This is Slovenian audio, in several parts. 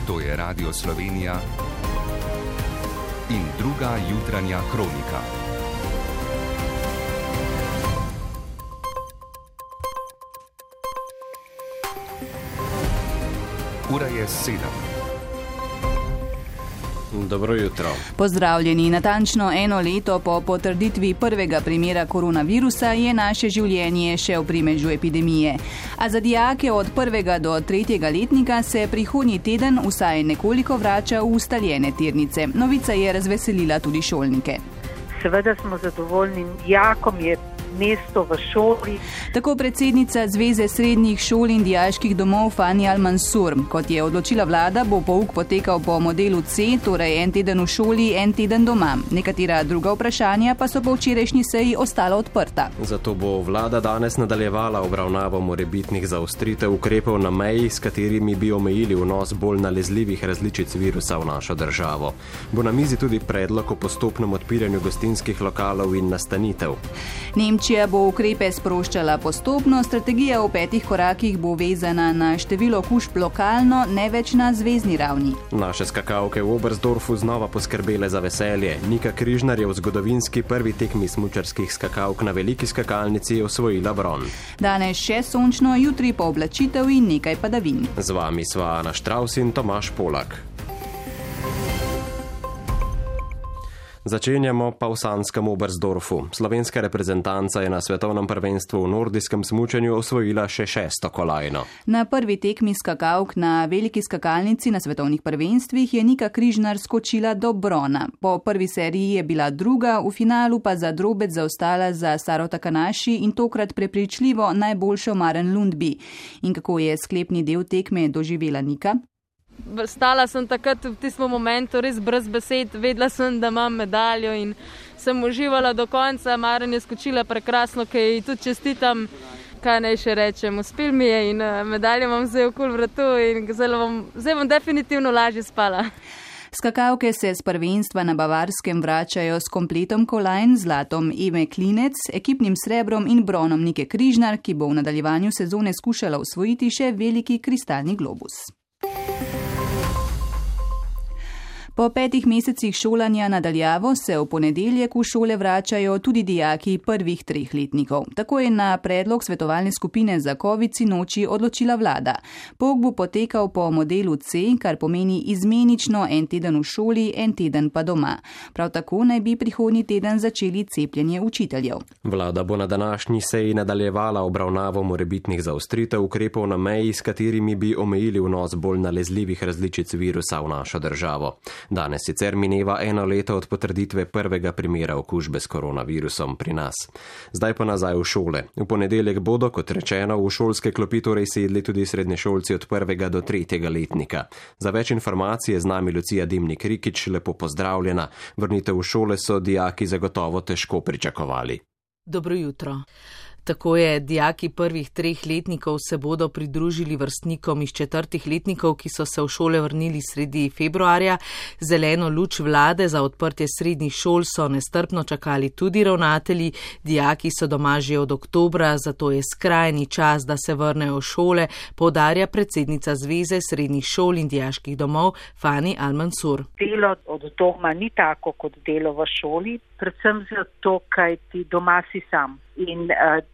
To je Radio Slovenija in druga jutranja kronika. Ura je 7. Dobro jutro. Pozdravljeni. Natančno eno leto po potrditvi prvega primera koronavirusa je naše življenje še v primežu epidemije. A za dijake od 1. do 3. letnika se prihodnji teden vsaj nekoliko vrača v ustaljene tirnice. Novica je razveselila tudi šolnike. Seveda smo zadovoljni, dijakom je mesto v šoli. Tako predsednica Zveze srednjih šol in dijaških domov Fani Al-Mansur. Kot je odločila vlada, bo pouk potekal po modelu C, torej en teden v šoli, en teden doma. Nekatera druga vprašanja pa so po včerajšnji seji ostala odprta. Zato bo vlada danes nadaljevala obravnavo morebitnih zaostritev ukrepov na meji, s katerimi bi omejili vnos bolj nalezljivih različic virusa v našo državo. Bo na mizi tudi predlog o postopnem odpiranju gostinskih lokalov in nastanitev. Nemčija bo ukrepe sproščala postopno, strategija v 5 korakih bo vezana na število okužb lokalno, ne več na zvezni ravni. Naše skakavke v Oberstdorfu znova poskrbele za veselje. Nika Križnar je v zgodovinski prvi tekmi smučarskih skakavk na veliki skakalnici osvojila bron. Danes še sončno, jutri pooblačitev in nekaj padavin. Z vami sva Ana Štravs in Tomaž Polak. Začenjamo pa v sanskem Oberstdorfu. Slovenska reprezentanca je na svetovnem prvenstvu v nordijskem smučanju osvojila še 6. kolajno. Na prvi tekmi skakavk na veliki skakalnici na svetovnih prvenstvih je Nika Križnar skočila do brona. Po prvi seriji je bila druga, v finalu pa za drobec zaostala za Saro Takanashi in tokrat prepričljivo najboljšo Maren Lundby. In kako je sklepni del tekme doživela Nika? Stala sem takrat v tistem momentu res brez besed, vedela sem, da imam medaljo in sem uživala do konca. Maren je skočila prekrasno, ki ji tudi čestitam, kaj naj še rečem. Uspel mi je in medaljo imam zdaj okoli vratu in zdaj bom definitivno lažje spala. Skakavke se z prvenstva na Bavarskem vračajo s kompletom kolajn, zlatom Eme Klinec, ekipnim srebrom in bronom Nike Križnar, ki bo v nadaljevanju sezone skušala osvojiti še veliki kristalni globus. Po 5 mesecih šolanja nadaljavo se v ponedeljek v šole vračajo tudi dijaki prvih 3 letnikov. Tako je na predlog svetovalne skupine za COVID sinoči odločila vlada. Pouk bo potekal po modelu C, kar pomeni izmenično en teden v šoli, en teden pa doma. Prav tako naj bi prihodnji teden začeli cepljenje učiteljev. Vlada bo na današnji seji nadaljevala obravnavo morebitnih zaostritev ukrepov na meji, s katerimi bi omejili vnos bolj nalezljivih različic virusa v našo državo. Danes sicer mineva 1 leto od potrditve prvega primera okužbe s koronavirusom pri nas. Zdaj pa nazaj v šole. V ponedeljek bodo, kot rečeno, v šolske klopi torej sedli tudi srednješolci od 1. do 3. letnika. Za več informacij je z nami Lucija Dimnik-Rikić, lepo pozdravljena. Vrnitev v šole so dijaki zagotovo težko pričakovali. Dobro jutro. Tako je, dijaki prvih 3 letnikov se bodo pridružili vrstnikom iz 4. letnikov, ki so se v šole vrnili sredi februarja. Zeleno luč vlade za odprtje srednjih šol so nestrpno čakali tudi ravnatelji. Dijaki so doma že od oktobra, zato je skrajni čas, da se vrnejo v šole, poudarja predsednica Zveze srednjih šol in dijaških domov Fani Al-Mansur. Delo od doma ni tako kot delo v šoli, predvsem zato, kaj ti doma si sam. In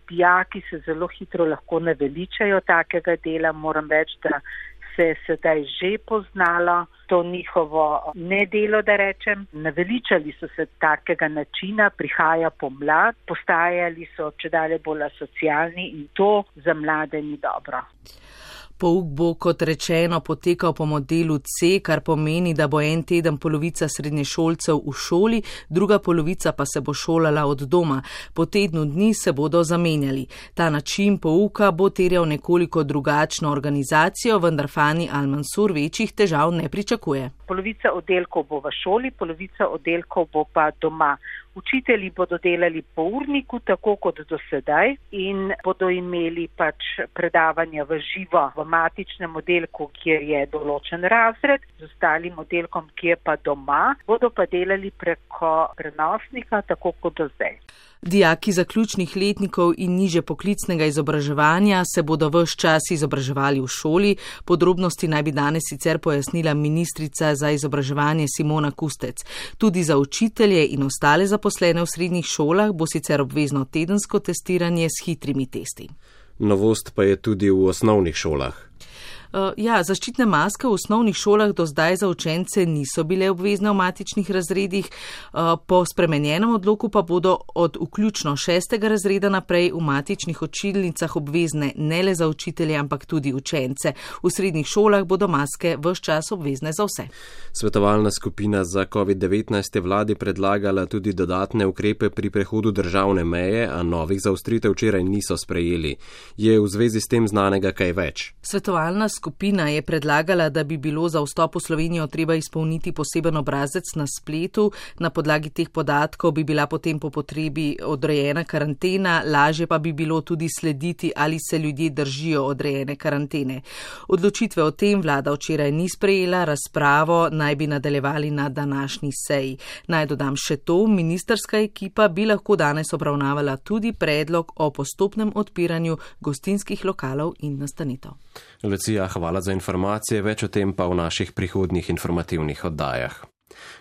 dijaki se zelo hitro lahko naveličajo takega dela. Moram reči, da se je sedaj že poznalo to njihovo nedelo, da rečem. Naveličali so se takega načina, prihaja pomlad, postajali so čedalje bolj asocialni in to za mlade ni dobro. Pouk bo, kot rečeno, potekal po modelu C, kar pomeni, da bo en teden polovica srednješolcev v šoli, druga polovica pa se bo šolala od doma. Po tednu dni se bodo zamenjali. Ta način pouka bo terjal nekoliko drugačno organizacijo, vendar Fani Al-Mansur večjih težav ne pričakuje. Polovica oddelkov bo v šoli, polovica oddelkov bo pa doma. Učitelji bodo delali po urniku, tako kot do sedaj, in bodo imeli predavanja v živo v matičnem oddelku, kjer je določen razred, z ostalim oddelkom, ki je pa doma, bodo pa delali preko prenosnika, tako kot do zdaj. Dijaki zaključnih letnikov in niže poklicnega izobraževanja se bodo ves čas izobraževali v šoli. Podrobnosti naj bi danes sicer pojasnila ministrica za izobraževanje Simona Kustec. Tudi za učitelje in ostale zaposlene v srednjih šolah bo sicer obvezno tedensko testiranje s hitrimi testi. Novost pa je tudi v osnovnih šolah. Zaščitne maske v osnovnih šolah do zdaj za učence niso bile obvezne v matičnih razredih, po spremenjenem odloku pa bodo od vključno 6. razreda naprej v matičnih učilnicah obvezne ne le za učitelje, ampak tudi učence. V srednjih šolah bodo maske ves čas obvezne za vse. Svetovalna skupina za COVID-19 je vladi predlagala tudi dodatne ukrepe pri prehodu državne meje, a novih zaostritev včeraj niso sprejeli. Je v zvezi s tem znanega kaj več? Svetovalna skupina je predlagala, da bi bilo za vstop v Slovenijo treba izpolniti poseben obrazec na spletu. Na podlagi teh podatkov bi bila potem po potrebi odrejena karantena, lažje pa bi bilo tudi slediti, ali se ljudje držijo odrejene karantene. Odločitve o tem vlada včeraj ni sprejela, razpravo naj bi nadaljevali na današnji seji. Naj dodam še to, ministrska ekipa bi lahko danes obravnavala tudi predlog o postopnem odpiranju gostinskih lokalov in nastanitev. Lucija, hvala za informacije, več o tem pa v naših prihodnjih informativnih oddajah.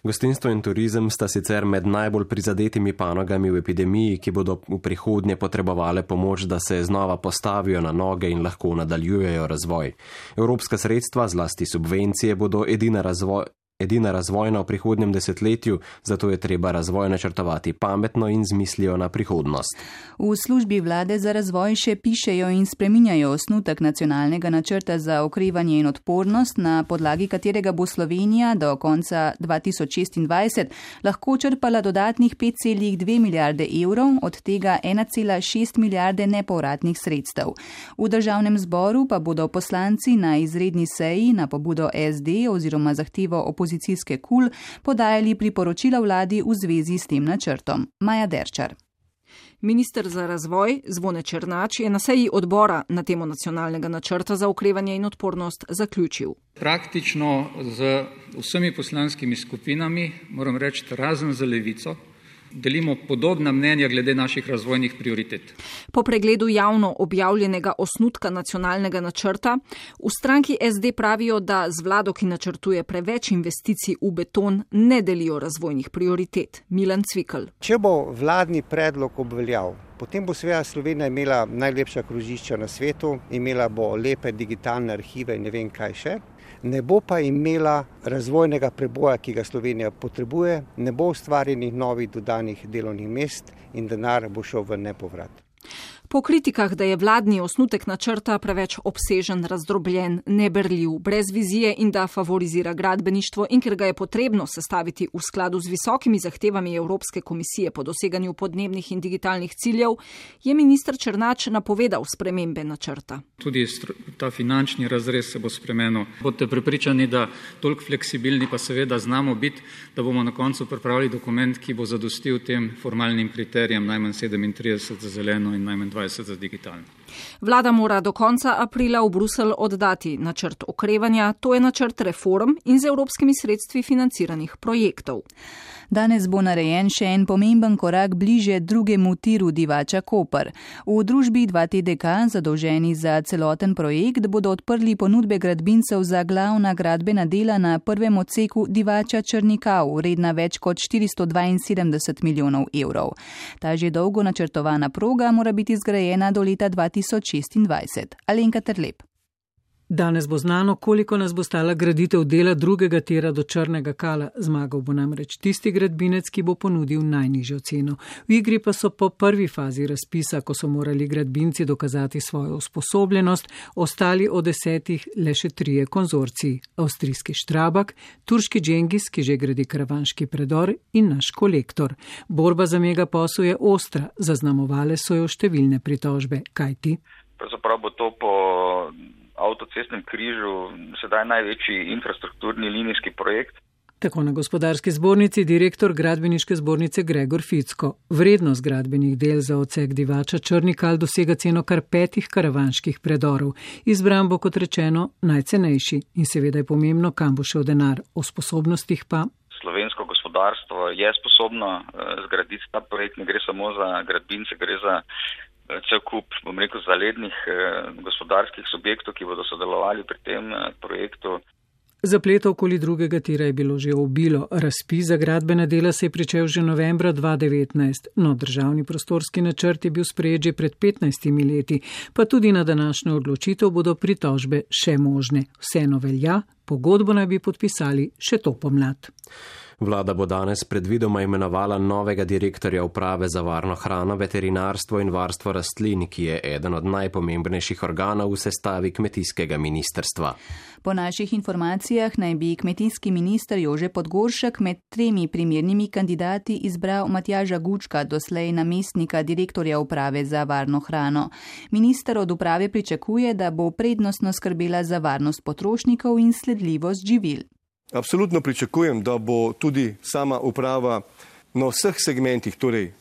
Gostinstvo in turizem sta sicer med najbolj prizadetimi panogami v epidemiji, ki bodo v prihodnje potrebovale pomoč, da se znova postavijo na noge in lahko nadaljujejo razvoj. Evropska sredstva, zlasti subvencije, bodo edina razvojna v prihodnjem desetletju, zato je treba razvoj načrtovati pametno in z mislijo na prihodnost. V službi vlade za razvoj še pišejo in spreminjajo osnutek nacionalnega načrta za okrevanje in odpornost, na podlagi katerega bo Slovenija do konca 2026 lahko črpala dodatnih 5,2 milijarde evrov, od tega 1,6 milijarde nepovratnih sredstev. V državnem zboru pa bodo poslanci na izredni seji na pobudo SD oziroma zahtevo opozicijske KUL podajali priporočila vladi v zvezi s tem načrtom. Maja Derčar. Minister za razvoj Zvone Černač je na seji odbora na temo nacionalnega načrta za okrevanje in odpornost zaključil. Praktično z vsemi poslanskimi skupinami, moram reči, razen za Levico, delimo podobna mnenja glede naših razvojnih prioritet. Po pregledu javno objavljenega osnutka nacionalnega načrta v stranki SD pravijo, da z vlado, ki načrtuje preveč investicij v beton, ne delijo razvojnih prioritet. Milan Cvikl. Če bo vladni predlog obveljal, potem bo seveda Slovenija imela najlepša krožišča na svetu, imela bo lepe digitalne arhive in ne vem kaj še. Ne bo pa imela razvojnega preboja, ki ga Slovenija potrebuje, ne bo ustvarjenih novih dodanih delovnih mest in denar bo šel v nepovrat. Po kritikah, da je vladni osnutek načrta preveč obsežen, razdrobljen, neberljiv, brez vizije in da favorizira gradbeništvo in ker ga je potrebno sestaviti v skladu z visokimi zahtevami Evropske komisije po doseganju podnebnih in digitalnih ciljev, je minister Černač napovedal spremembe načrta. Tudi ta finančni razrez se bo spremenil. Bodite prepričani, da toliko fleksibilni pa seveda znamo biti, da bomo na koncu pripravili dokument, ki bo zadostil tem formalnim kriterijem najmanj 37 za zeleno in najmanj 20 za digitalno. Vlada mora do konca aprila v Bruselj oddati načrt okrevanja, to je načrt reform in z evropskimi sredstvi financiranih projektov. Danes bo narejen še en pomemben korak bliže drugemu tiru Divača Koper. V družbi 2TDK, zadolženi za celoten projekt, bodo odprli ponudbe gradbincev za glavna gradbena dela na prvem odseku Divača Črnikav, vredna več kot 472 milijonov evrov. Ta že dolgo načrtovana proga mora biti zgrajena do leta 2026. Alenka Terlep. Danes bo znano, koliko nas bo stala graditev dela drugega tira do Črnega Kala. Zmagal bo namreč tisti gradbinec, ki bo ponudil najnižjo ceno. V igri pa so po prvi fazi razpisa, ko so morali gradbinci dokazati svojo usposobljenost, ostali od 10 le še 3 konzorciji. Avstrijski Štrabak, turški Džengis, ki že gradi karavanški predor, in naš Kolektor. Borba za megaposel je ostra, zaznamovale so jo številne pritožbe. Kaj ti? Pravzaprav bo to po avtocestnem križu sedaj največji infrastrukturni linijski projekt. Tako na Gospodarski zbornici direktor Gradbeniške zbornice Gregor Ficko. Vrednost gradbenih del za odsek Divača Črnikal dosega ceno kar 5 karavanških predorov. Izbran bo, kot rečeno, najcenejši in seveda je pomembno, kam bo šel denar. O sposobnostih pa. Slovensko gospodarstvo je sposobno zgraditi ta projekt. Ne gre samo za gradbince, gre za cel kup, zalednih gospodarskih subjektov, ki bodo sodelovali pri tem projektu. Zapletov okoli drugega tira je bilo že obilo. Razpis za gradbena dela se je pričel že novembra 2019, no državni prostorski načrt je bil sprejet že pred 15 leti, pa tudi na današnjo odločitev bodo pritožbe še možne. Vseeno velja, pogodbo naj bi podpisali še to pomlad. Vlada bo danes predvidoma imenovala novega direktorja uprave za varno hrano, veterinarstvo in varstvo rastlin, ki je eden od najpomembnejših organov v sestavi kmetijskega ministrstva. Po naših informacijah naj bi kmetijski minister Jože Podgoršek med 3 primernimi kandidati izbral Matjaža Gučka, doslej namestnika direktorja uprave za varno hrano. Minister od uprave pričakuje, da bo prednostno skrbela za varnost potrošnikov in sledljivost živil. Absolutno pričakujem, da bo tudi sama uprava na vseh segmentih, torej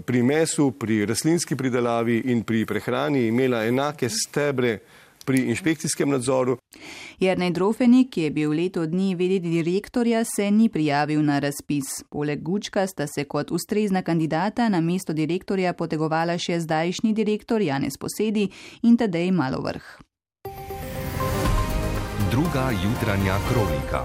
pri mesu, pri rastlinski pridelavi in pri prehrani imela enake stebre pri inšpekcijskem nadzoru. Jernej Drofenik, ki je bil leto dni v.d. direktorja, se ni prijavil na razpis. Poleg Gučka sta se kot ustrezna kandidata na mesto direktorja potegovala še zdajšnji direktor Janez Posedi in Tadej Malovrh. Druga jutranja kronika.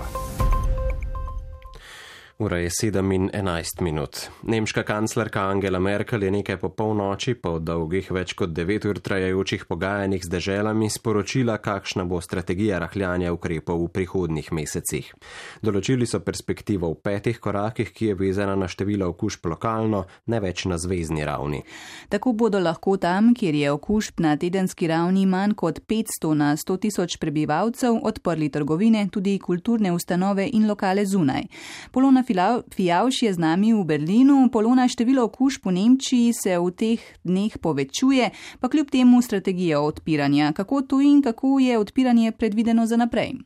Ura je 7:11. Nemška kanclerka Angela Merkel je nekaj po polnoči po dolgih več kot 9 ur trajajočih pogajanjih z deželami sporočila, kakšna bo strategija rahljanja ukrepov v prihodnjih mesecih. Določili so perspektivo v 5 korakih, ki je vezana na število okužb lokalno, ne več na zvezni ravni. Tako bodo lahko tam, kjer je okužb na tedenski ravni manj kot 500 na 100 tisoč prebivalcev, odprli trgovine, tudi kulturne ustanove in lokale zunaj. Polona Fijavš je z nami v Berlinu. Polona, število okužb v Nemčiji se v teh dneh povečuje, pa kljub temu strategija odpiranja. Kako to in kako je odpiranje predvideno za naprej?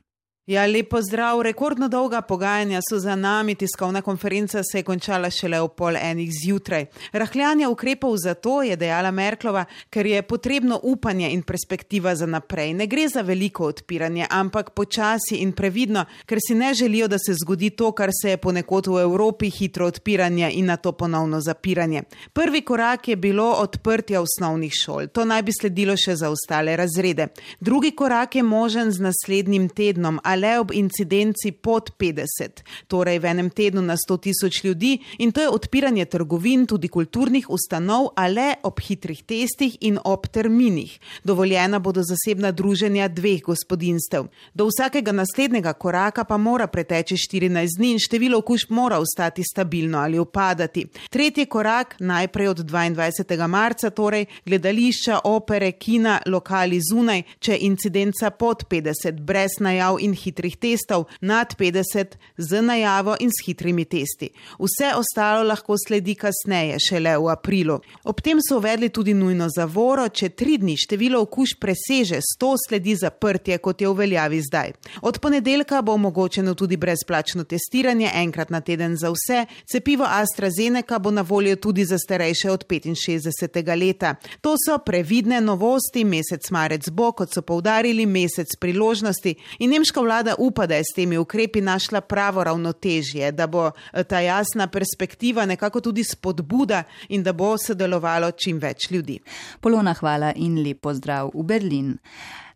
Ja, lepo zdrav. Rekordno dolga pogajanja so za nami. Tiskovna konferenca se je končala šele ob 12:30 zjutraj. Rahljanje ukrepov zato, je dejala Merklova, ker je potrebno upanje in perspektiva za naprej. Ne gre za veliko odpiranje, ampak počasi in previdno, ker si ne želijo, da se zgodi to, kar se je ponekod v Evropi, hitro odpiranje in nato ponovno zapiranje. Prvi korak je bilo odprtje osnovnih šol. To naj bi sledilo še za ostale razrede. Drugi korak je možen z naslednjim tednom, le ob incidenci pod 50, torej v enem tednu na 100 tisoč ljudi, in to je odpiranje trgovin, tudi kulturnih ustanov, a le ob hitrih testih in ob terminih. Dovoljena bodo zasebna druženja 2 gospodinjstev. Do vsakega naslednjega koraka pa mora preteči 14 dni in število okužb mora ostati stabilno ali upadati. Tretji korak, najprej od 22. marca, torej gledališča, opere, kina, lokali zunaj, če incidenca pod 50, brez najav in hitrih testov, nad 50 z najavo in s hitrimi testi. Vse ostalo lahko sledi kasneje, šele v aprilu. Ob tem so uvedli tudi nujno zavoro, če 3 dni število okužb preseže 100, sledi zaprtje, kot je v veljavi zdaj. Od ponedeljka bo omogočeno tudi brezplačno testiranje, enkrat na teden za vse. Cepivo AstraZeneca bo na voljo tudi za starejše od 65. leta. To so previdne novosti, mesec marec bo, kot so poudarili, mesec priložnosti in nemška vlada upa, da je s temi ukrepi našla pravo ravnotežje, da bo ta jasna perspektiva nekako tudi spodbuda in da bo sodelovalo čim več ljudi. Polona, hvala in lep pozdrav v Berlin.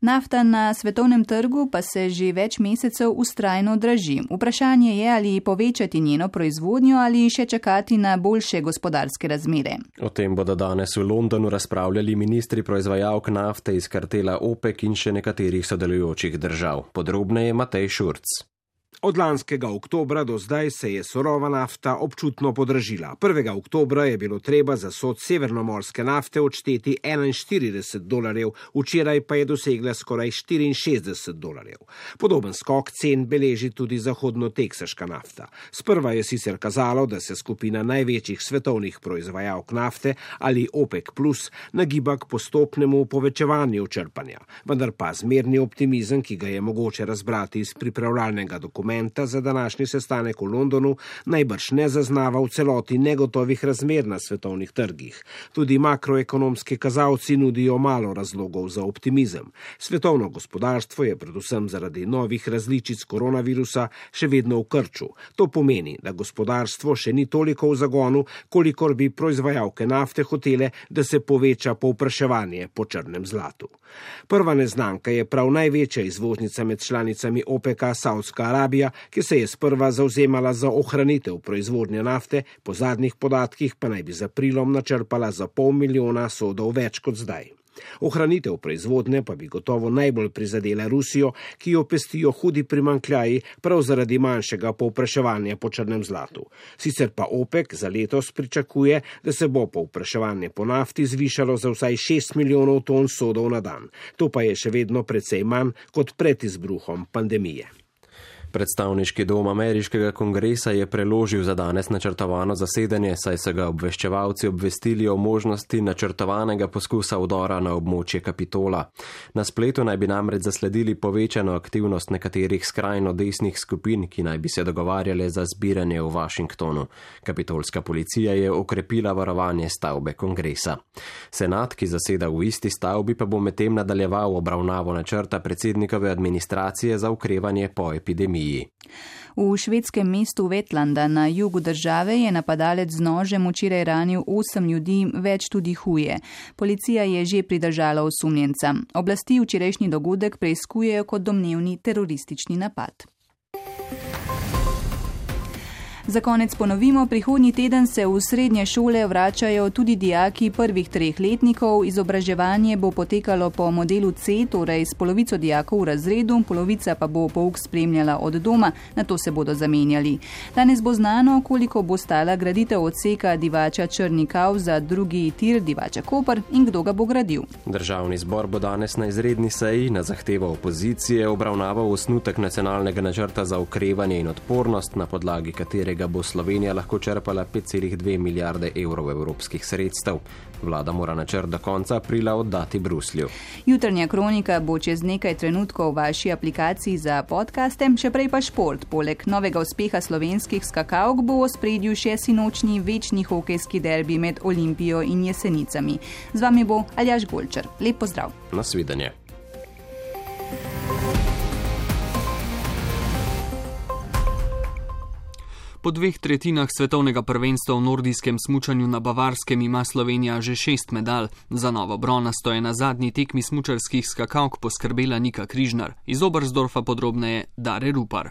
Nafta na svetovnem trgu pa se že več mesecev vztrajno draži. Vprašanje je, ali povečati njeno proizvodnjo ali še čakati na boljše gospodarske razmere. O tem bodo danes v Londonu razpravljali ministri proizvajalk nafte iz kartela OPEC in še nekaterih sodelujočih držav. Podrobneje Matej Šurc. Od lanskega oktobra do zdaj se je surova nafta občutno podražila. 1. oktobra je bilo treba za sod severnomorske nafte odšteti $41, včeraj pa je dosegla skoraj $64. Podoben skok cen beleži tudi zahodno-teksaška nafta. Sprva je sicer kazalo, da se skupina največjih svetovnih proizvajalk nafte ali OPEC plus nagiba k postopnemu povečevanju črpanja, vendar pa zmerni optimizem, ki ga je mogoče razbrati iz pripravljalnega dokumenta, dokumenta za današnji sestanek v Londonu najbrž ne zaznava v celoti negotovih razmer na svetovnih trgih. Tudi makroekonomski kazalci nudijo malo razlogov za optimizem. Svetovno gospodarstvo je predvsem zaradi novih različic koronavirusa še vedno v krču. To pomeni, da gospodarstvo še ni toliko v zagonu, kolikor bi proizvajalke nafte hotele, da se poveča povpraševanje po črnem zlatu. Prva neznanka je prav največja izvoznica med članicami OPEC-a, Saudska Arabija, ki se je sprva zavzemala za ohranitev proizvodnje nafte, po zadnjih podatkih pa naj bi z aprilom načrpala za 500 milijona sodov več kot zdaj. Ohranitev proizvodnje pa bi gotovo najbolj prizadela Rusijo, ki jo pestijo hudi primanjkljaji prav zaradi manjšega povpraševanja po črnem zlatu. Sicer pa OPEC za letos pričakuje, da se bo povpraševanje po nafti zvišalo za vsaj 6 milijonov ton sodov na dan. To pa je še vedno precej manj kot pred izbruhom pandemije. Predstavniški dom ameriškega kongresa je preložil za danes načrtovano zasedanje, saj so ga obveščevalci obvestili o možnosti načrtovanega poskusa vdora na območje Kapitola. Na spletu naj bi namreč zasledili povečano aktivnost nekaterih skrajno desnih skupin, ki naj bi se dogovarjale za zbiranje v Washingtonu. Kapitolska policija je okrepila varovanje stavbe kongresa. Senat, ki zaseda v isti stavbi, pa bo medtem nadaljeval obravnavo načrta predsednikove administracije za okrevanje po epidemiji. V švedskem mestu Vetlanda na jugu države je napadalec z nožem včeraj ranil 8 ljudi, več tudi huje. Policija je že pridržala osumljenca. Oblasti včerajšnji dogodek preiskujejo kot domnevni teroristični napad. Za konec ponovimo, prihodnji teden se v srednje šole vračajo tudi dijaki prvih 3 letnikov. Izobraževanje bo potekalo po modelu C, torej s polovico dijakov v razredu, polovica pa bo pouk spremljala od doma, nato se bodo zamenjali. Danes bo znano, koliko bo stala graditev odseka Divača Črnikav za drugi tir Divača Koper in kdo ga bo gradil. Državni zbor bo danes na izredni seji na zahtevo opozicije obravnaval osnutek nacionalnega načrta za okrevanje in odpornost, na podlagi katerega bo Slovenija lahko črpala 5,2 milijarde evrov evropskih sredstev. Vlada mora načrt do konca aprila oddati Bruslju. Jutranja kronika bo čez nekaj trenutkov v vaši aplikaciji za podcaste, še prej pa šport. Poleg novega uspeha slovenskih skakalk bo v ospredju še sinočnji večni hokejski derbi med Olimpijo in Jesenicami. Z vami bo Aljaž Golčar. Lep pozdrav. Nasvidenje. Po 2/3 svetovnega prvenstva v nordijskem smučanju na Bavarskem ima Slovenija že 6 medalj. Za novo bronasto je na zadnji tekmi smučarskih skakalk poskrbela Nika Križnar. Iz Oberstdorfa podrobneje Dare Rupar.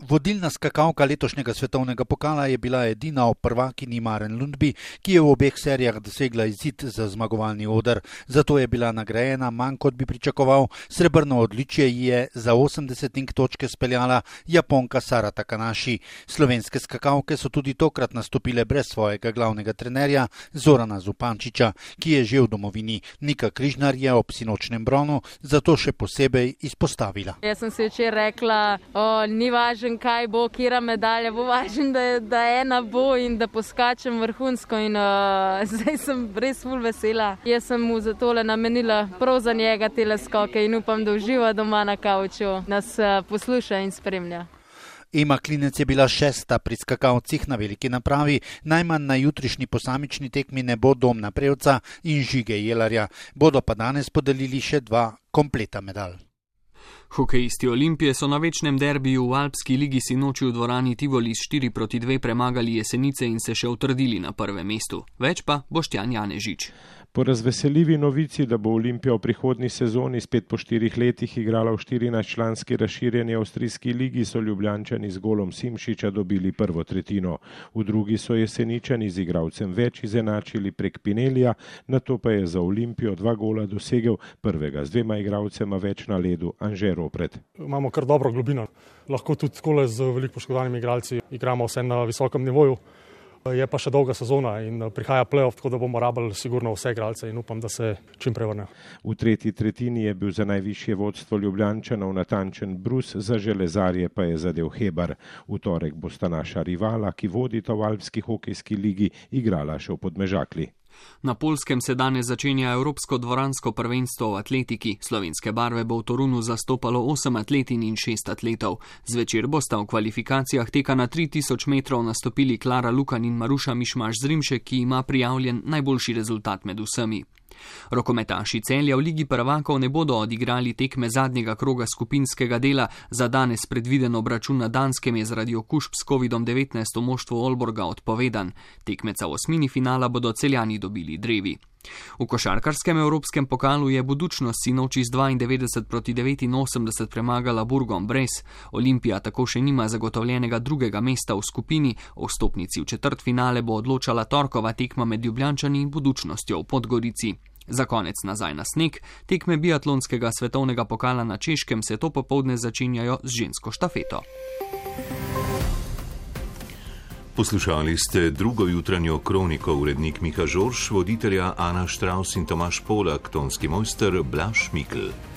Vodilna skakalka letošnjega svetovnega pokala je bila edina ob prvakinji Maren Lundby, ki je v obeh serijah dosegla izid za zmagovalni oder. Zato je bila nagrajena manj kot bi pričakoval. Srebrno odličje je za 80 točke speljala Japonka Sara Takanashi. Slovenske skakalke so tudi tokrat nastopile brez svojega glavnega trenerja Zorana Zupančiča, ki je že v domovini. Nika Križnar je ob sinočnem bronu zato še posebej izpostavila. Jaz sem si včeraj rekla, ni važno, kaj bo, kjera medalja, bo važno, da ena bo in da poskačem vrhunsko in zdaj sem res ful vesela. Jaz sem mu za tole namenila prav za njega tele skoke in upam, da uživa doma na kavču, nas posluša in spremlja. Ema Klinec je bila 6. pri skakalcih na veliki napravi. Najmanj na jutrišnji posamični tekmi ne bo Domna Prevca in Žige Jelarja. Bodo pa danes podelili še 2 kompleta medalj. Hokejisti Olimpije so na večnem derbiju v Alpski ligi sinoči v dvorani Tivoli s 4-2 premagali Jesenice in se še utrdili na prvem mestu. Več pa Boštjan Janežič. Po razveseljivi novici, da bo Olimpija v prihodnji sezoni spet po 4 letih igrala v 14-članski razširjeni avstrijski ligi, so Ljubljančani z golom Simšiča dobili prvo tretjino. V drugi so Jeseničani z igralcem več izenačili prek Pinelija, nato pa je za Olimpijo 2 gola dosegel, prvega z 2 igralcema več na ledu Anže Ropret. Imamo kar dobro globino, lahko tudi skole z veliko poškodovanimi igralci igramo vse na visokem nivoju. Je pa še dolga sezona in prihaja play-off, tako da bomo rabili sigurno vse igralce in upam, da se čim prevrnejo. V tretji tretjini je bil za najvišje vodstvo Ljubljančanov natančen brus, za železarje pa je zadel Hebar. V torek bosta naša rivala, ki vodita v Alpski hokejski ligi, igrala še v Podmežakli. Na Poljskem se danes začenja Evropsko dvoransko prvenstvo v atletiki. Slovenske barve bo v Torunu zastopalo 8 atletin in 6 atletov. Zvečer bosta v kvalifikacijah teka na 3000 metrov nastopili Klara Lukan in Maruša Mišmaš Zrimšek, ki ima prijavljen najboljši rezultat med vsemi. Rokometaši Celja v Ligi prvakov ne bodo odigrali tekme zadnjega kroga skupinskega dela. Za danes predviden obračun na Danskem je zaradi okužb s COVID-19 v moštvu Aalborga odpovedan. Tekmeca v osmini finala bodo Celjani dobili drevi. V košarkarskem evropskem pokalu je Budućnost sinoči z 92-89 premagala Bourg-en-Bresse. Olimpija tako še nima zagotovljenega drugega mesta v skupini. O vstopnici v četrtfinale bo odločala torkova tekma med Ljubljančani in Budućnostjo v Podgorici. Za konec nazaj na sneg. Tekme biatlonskega svetovnega pokala na Češkem se to popoldne začenjajo z žensko štafeto. Poslušali ste drugo jutranjo kroniko, urednik Miha Žorž, voditelja Ana Štravs in Tomaž Polak, tonski mojster Blaž Mikl.